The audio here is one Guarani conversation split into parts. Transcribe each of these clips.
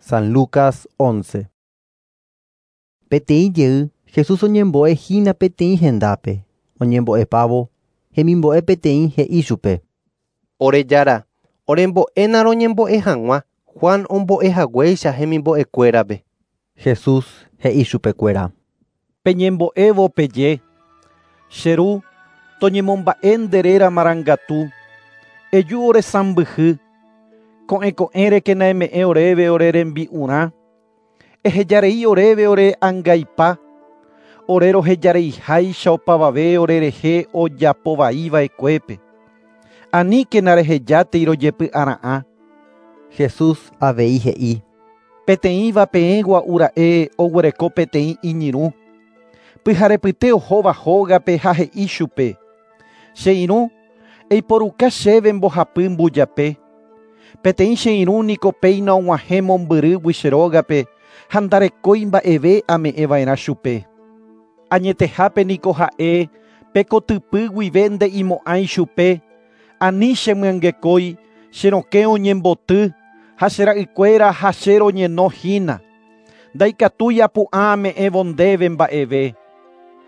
San Lucas 11. Peteĩ jey, Jesús oñembo'e hína peteĩ hendápe. Oñembo'epávo, hemimbo'e peteĩ he'i chupe: Ore Jára, orembo'éna roñembo'e hag̃ua Juan ombo'ehaguéicha hemimbo'ekuérape. Jesús he'i chupekuéra: Peñembo'évo peje: Che Ru, toñemomba'e nde réra marangatu. Eju ore sãmbyhy. Ko'ẽ ko'ẽrekena eme'ẽ oréve ore rembi'urã. Ehejarei oréve ore angaipa. Ore rohejareiháicha opavave orerehe ojapovaiva'ekuépe. Aníkena rehejátei rojepy'ara'ã. Jesús avei he'i: Peteĩva peẽ gua'ura'e oguereko peteĩ iñirũ. Pyharepyte ohóva hógape ha he'i chupe: Che irũ, eiporuka chéve mbohapy mbujape. Peteĩ che irũ niko péina og̃uahẽ mombyrýgui che rógape ha ndarekói mba'eve ame'ẽva'erã chupe. Añetehápe niko ha'e pe kotypy guive nde'imo'ãi chupe, ani chemyangekói, che rokẽ oñemboty ha che ra'ykuéra ha che roñenohína. Ndaikatúi apu'ã ame'ẽvo ndéve mba'eve.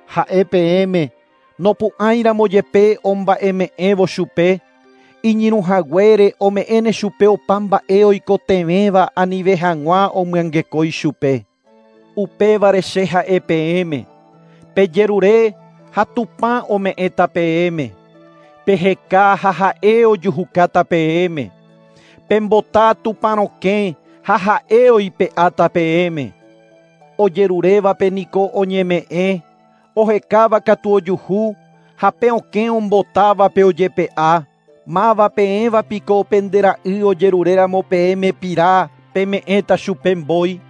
Ha'e peẽme nopu'ãiramo jepe omba'eme'ẽvo chupe, iñirũhaguére ome'ẽne chupe opa mba'e oikotevẽva anive hag̃ua omyangekói chupe. Upévare che ha'e peẽme, pejerure ha Tupã ome'ẽta peẽme. Peheka ha ha'e ojuhukáta peẽme. Pembota Tupã rokẽ ha ha'e oipe'áta peẽme. Ojerurévape niko oñeme'ẽ, ohekáva katu ojuhu, ha pe okẽ ombotávape ojepe'a. Máva peẽva piko pende ra'y ojeruréramo peẽme pira peme'ẽta chupe mbói,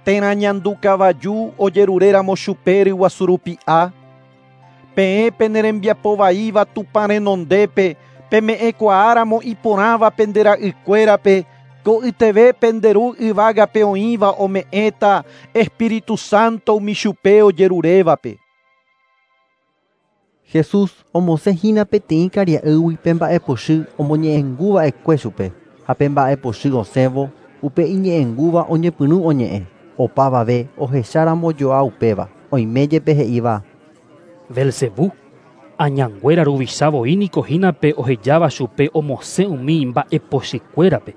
térã ñandukavaju ojeruréramo chupe ryguasurupi'a. Peẽ pene rembiapovaíva Tupã renondépe peme'ẽkuaáramo iporãva pende ra'ykuérape ko'yteve pende Ru yvágape oĩva ome'ẽta Espíritu Santo umi chupe ojerurévape. Jesús omosẽhína peteĩ karia'ýgui pe mba'epochy omoñe'ẽnguva'ekue chupe, ha pe mba'epochy osẽvo, upe iñe'ẽngúva oñepyrũ oñe'ẽ. Opavave ohecháramo joa upéva, oime jepe he'íva: Belcebú, añanguéra ruvicha voi niko hína pe ohejáva chupe omosẽ umi mba'epochykuérape.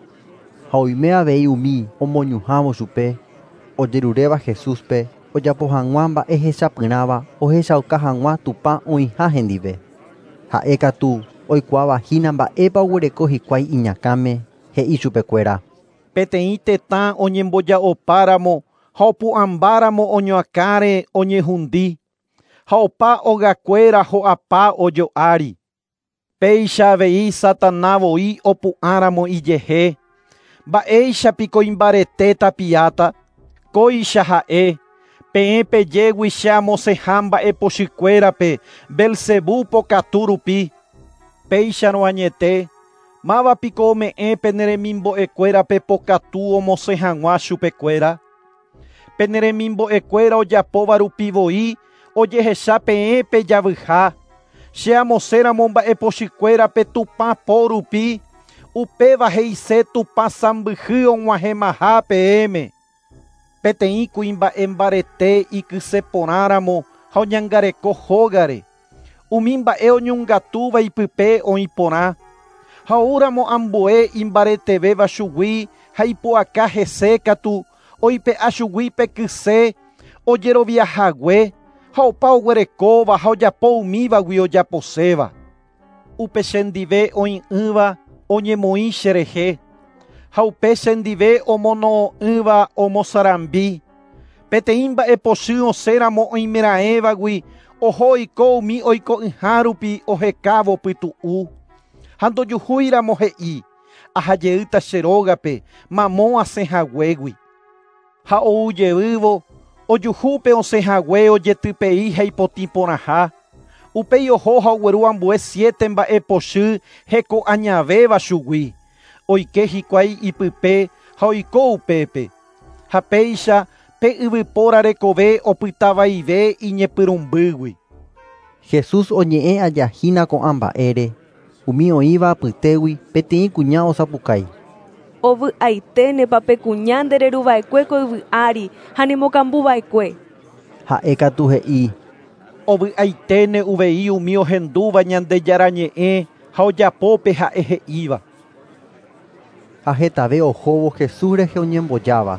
Ha oime avei umi omoñuhãvo chupe, ojeruréva Jesúspe ojapo hag̃ua mba'e hechapyrãva ohechauka hag̃ua Tupã oĩha hendive. Ha'e katu oikuaavahína mba'épa oguereko hikuái iñakãme, he'i chupekuéra: Peteĩ tetã oñemboja'opáramo ha opu'ãmbáramo oñoakãre oñehundi, ha opa ogakuéra ho'apa ojo'ári. Péicha avei Satana voi opu'ãramo ijehe, mba'éichapiko imbarete tapiáta. Kóicha ha'e, peẽ pejégui che amosẽha mba'epochykuérape Belcebú pokatu rupi. Péicharõ añete, mávapiko ome'ẽ pene remimbo'ekuérape pokatu omosẽ hag̃ua chupekuéra. Pene remimbo'ekuéra ojapóva rupi voi ojehecha peẽ pejavyha. Che amosẽramo mba'epochykuérape Tupã po rupi, upéva he'ise Tupã sãmbyhy og̃uahẽmaha peẽme. Peteĩ kuimba'e mbarete ikyseporãramo ha oñangareko hógare. Umi mba'e oñongatúva ipype oĩ porã. Ha oúramo ambue imbaretevéva chugui ha ipu'aka hese katu oipe'a chugui pe kyse ojeroviahague ha opa oguerekóva ha ojapo umívagui ojaposéva. Upe chendive oĩ'ỹva oñemoĩ cherehe, ha upe chendive omono'õ'ỹva omosarambi. Peteĩ mba'epochy osẽramo oimeraẽvagui oho oiko umi oiko'ỹha rupi ohekávo pytu'u. Ha ndojuhúiramo he'i, ahajeýta che rógape mamo asẽhaguégui. Ha oujeývo, ojuhúpe osẽhague ojetypei ha ipotĩ porãha. Upéi oho ha ogueru ambue 7 mba'epochy hekoañavéva chugui. Oike hikuái ipype ha oiko upépe. Ha péicha pe yvypóra rekove opytavaive iñepyrũmbýgui. Jesús oñe'ẽ ajahína ko'ã mba'ére, umi oĩva apytégui peteĩ kuña osapukái. Ovy'aiténepa pe kuña ndereruva'ekue ko yvy ári ha nemokambuva'ekue. Ha'e katu he'i: Ovy'aiténe uvei umi ohendúva Ñandejára ñe'ẽ ha ojapópe ha'e he'íva. Ha hetave ohóvo Jesús rehe oñembojáva,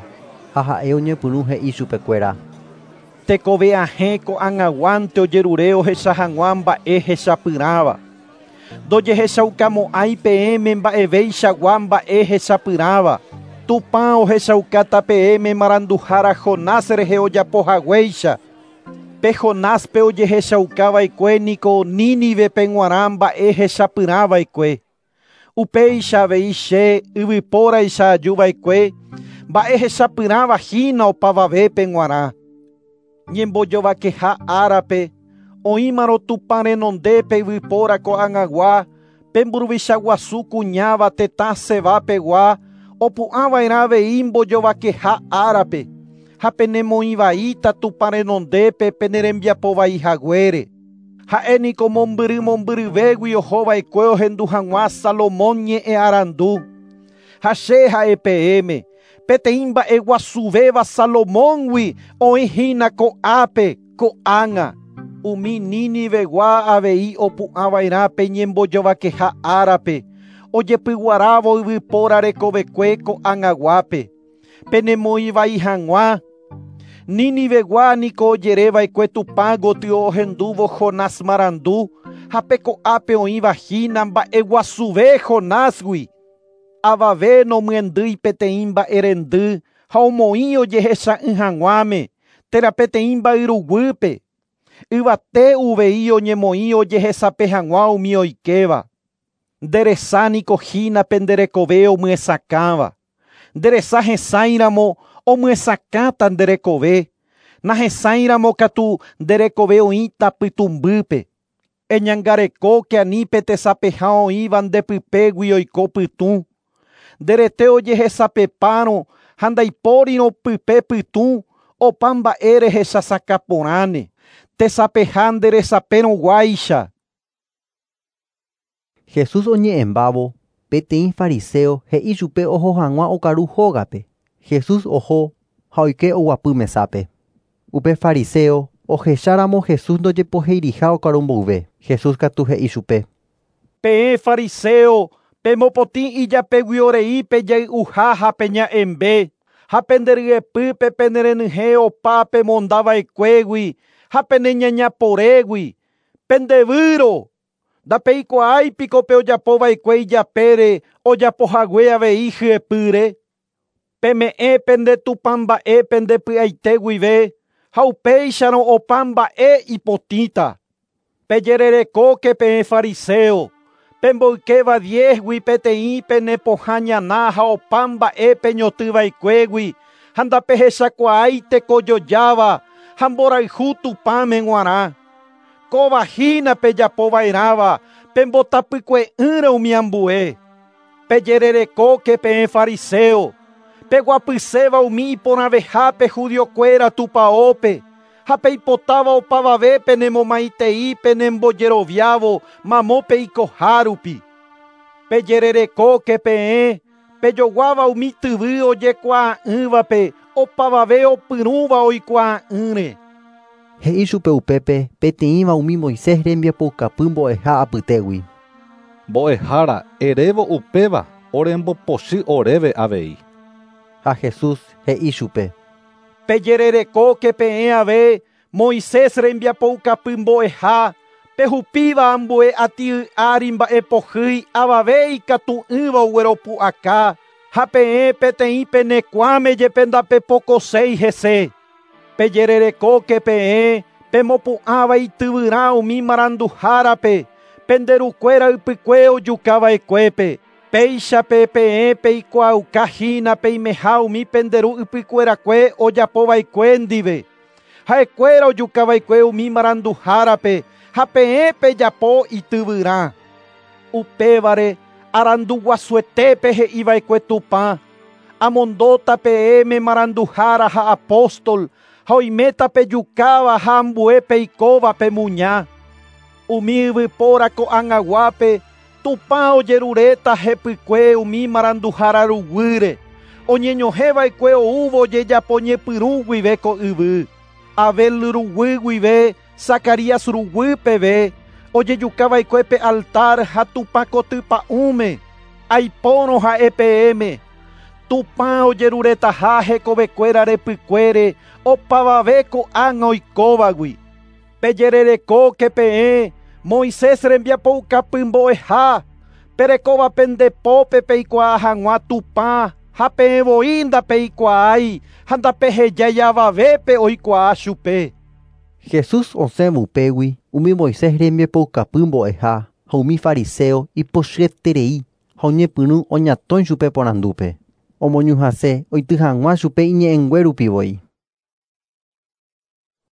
ha ha'e oñepyrũ he'i chupekuéra: Tekove ahẽ ko'ag̃aguánte ojerure ohecha hag̃ua mba'e hechapyrãva. Ndojehechaukamo'ãi peẽme mba'eveichagua mba'e hechapyrãva. Tupã ohechaukáta peẽme maranduhára Jonás rehe ojapohaguéicha. Pe Jonáspe ojehechaukava'ekue niko Nínivepe g̃uarã mba'e hechapyrãva'ekue. Upéicha avei che yvypóraicha ajuva'ekue mba'e hechapyrãva hína opavavépe g̃uarã. Ñembojovakeha árape oĩmarõ Tupã renondépe yvypóra ko'ag̃agua pe mburuvicha guasu kuñáva tetã Sebapegua opu'ãva'erã avei mbojovakeha árape ha penemoĩvaíta Tupã renondépe penerembiapovaihaguére. Ha'e niko mombyry mombyryvégui ohova'ekue ohendu hag̃ua Salomón ñe'ẽ arandu. Ha che ha'e peẽme peteĩ mba'eguasuvéva Salomóngui oĩhína ko'ápe ko'ág̃a. Umi Ninivegua avei opu'ãva'erã pe ñembojovakeha árape ojepyguarávo yvypóra rekovekue ko'ag̃aguápe. Penemoĩvai hag̃ua. Ninivegua niko ojereva'ekue Tupã gotyo ohendúvo Jonás marandu ha pe ko'ápe oĩvahína mba'eguasuve Jonásgui. Avave nomyendýi peteĩ mba'erendy ha omoĩ ojehecha'ỹ hag̃uáme térã peteĩ mba'yruguýpe. Yvate uvei oñemoĩ ojehesape hag̃ua umi oikéva. Nderesa niko hína penderekove omyesakãva. Nderesa hesãiramo omyesakãta nderekove. Nahesãiramo katu nderekove oĩta pytũmbýpe. Eñangarekóke ani pe tesapeha oĩva ndepypégui oiko pytũ. Nderete ojehesapepárõ ha ndaipórirõ pype pytũ opa mba'e rehechasakãporãne. Tesapeha nderesapérõguáicha. Jesús oñe'ẽmbávo peteĩ fariseo he'i chupe oho hag̃ua okaru hógape. Jesús oho ha oike oguapy mesápe. Upe fariseo ohecháramo Jesús ndojepoheiriha okaru mboyve. Jesús katu he'i chupe: Peẽ fariseo pemopotĩ ijapeguiorei pejay'uha ha peña'ẽmbe ha penderyepýpe penerenyhẽ opa pemondava'ekuégui ha peneñañaporégui. Pendevýro. Ndapeikuaáipiko pe ojapova'ekue ijapére ojapohague avei hyepýre. Peme'ẽ pende Tupã mba'e pendepy'aite guive ha upéicharõ opa mba'e ipotĩta. Pejererekóke peẽ fariseo pemboykéva diezgui peteĩ penepohã ñana ha opa mba'e peñotỹva'ekuégui ha ndapehechakuaái tekojojáva ha mborayhu Tupãme g̃uarã. Kóva hína pejapova'erãva pembotapykue'ỹre umi ambue. Pejererekóke peẽ fariseo peguapyséva umi iporãvehápe judiokuéra tupãópe ha peipotáva opavave penemomaitei penembojeroviávo mamo peikohárupi. Pejererekóke peẽ pejoguáva umi tyvy ojekuaa'ỹvape opavave opyrũva oikuaa'ỹre. He'i chupe upépe peteĩva umi Moisés rembiapoukapy mbo'eha apytégui. Mbo'ehára erévo upéva orembopochy oréve avei. Ha Jesús he'i chupe: Pejererekóke peẽ ave Moisés rembiapoukapy mbo'eha pehupíva ambue ati'y ári mba'epohýi avave ikatu'ỹva ogueropu'aka ha peẽ peteĩ penekuãme jepe ndapepokoséi hese. Pejererekóke peẽ pemopu'ãva ityvyrã umi maranduhárape penderukuéra ypykue ojukava'ekuépe. Péichape peẽ peikuaukahína peimeha umi penderu ypykuerakue ojapova'ekue ndive. Ha'ekuéra ojukava'ekue umi maranduhárape ha peẽ pejapo ityvyrã. Upévare aranduguasuetépe he'iva'ekue Tupã. Amondóta peẽme maranduhára ha apóstol ha oiméta pejukáva ha ambue peikóva pemuña. Umi yvypóra ko'ag̃aguápe Tupã ojeruréta hepykue umi maranduhára ruguýre oñeñohẽva'ekue oúvo ojejapo ñepyrũ guive ko yvy. Abel ruguy guive Zacarías ruguy peve ojejukava'ekue pe altar ha Tupã kotypa'ũme aipórõ ha'e peẽme. Tupã ojeruretaha hekovekuéra repykuére opavave ko'ág̃a oikóvagui. Pejererekóke peẽ Moisés rembiapoukapy mbo'eha perekóva pendepópe peikuaa hag̃ua Tupã ha peẽ voi ndapeikuaái ha ndapehejái avavépe oikuaa chupe. Jesús osẽvo upégui umi Moisés rembiapoukapy mbo'eha ha umi fariseo ipochyeterei ha oñepyrũ oñatõi chupe porandúpe. Omoñuhãse oity hag̃ua chupe iñe'ẽngue rupi voi.